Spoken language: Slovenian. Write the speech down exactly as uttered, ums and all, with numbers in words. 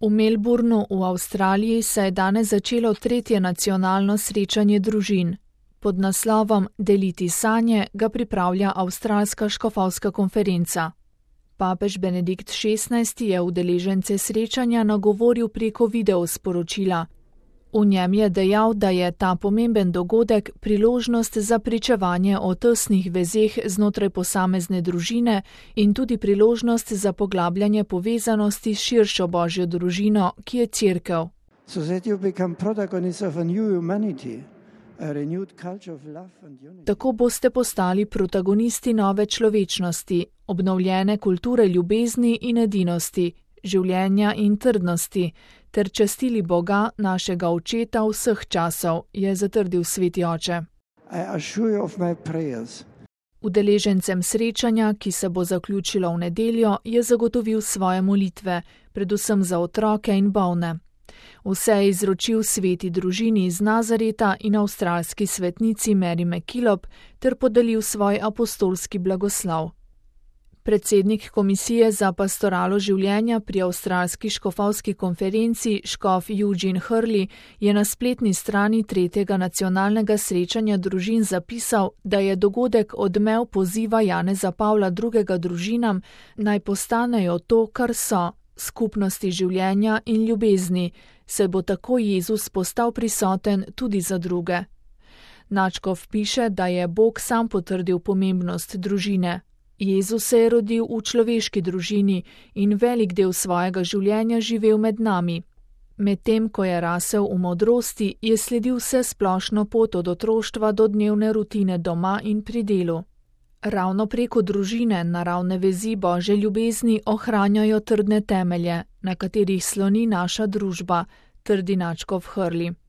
V Melbourneu v Avstraliji se je danes začelo tretje nacionalno srečanje družin. Pod naslovom Deliti sanje ga pripravlja Avstralska škofovska konferenca. Papež Benedikt šestnajsti je udeležence srečanja nagovoril preko videosporočila. V njem je dejal, da je ta pomemben dogodek priložnost za pričevanje o tesnih vezeh znotraj posamezne družine in tudi priložnost za poglabljanje povezanosti s širšo Božjo družino, ki je Cerkev. So that you become protagonists of a new humanity, a renewed culture of love and unity. Tako boste postali protagonisti nove človečnosti, obnovljene kulture ljubezni in edinosti, življenja in trdnosti, ter častili Boga, našega očeta vseh časov, je zatrdil sveti oče. I assure you of my prayers. Udeležencem srečanja, ki se bo zaključilo v nedeljo, je zagotovil svoje molitve, predvsem za otroke in bolne. Vse je izročil sveti družini iz Nazareta in avstralski svetnici Mary MacKillop ter podelil svoj apostolski blagoslov. Predsednik Komisije za pastoralo življenja pri Avstralski škofovski konferenci škof Eugene Hurley je na spletni strani tretjega nacionalnega srečanja družin zapisal, da je dogodek odmev poziva Janeza Pavla drugega družinam, naj postanejo to, kar so, skupnosti življenja in ljubezni, saj bo tako Jezus postal prisoten tudi za druge. Nadškof piše, da je Bog sam potrdil pomembnost družine. Jezus se je rodil v človeški družini in velik del svojega življenja živel med nami. Medtem, ko je rasel v modrosti, je sledil vse splošno pot od otroštva do dnevne rutine doma in pri delu. Ravno preko družine naravne vezi Božje ljubezni ohranjajo trdne temelje, na katerih sloni naša družba, trdi nadškof Hurley.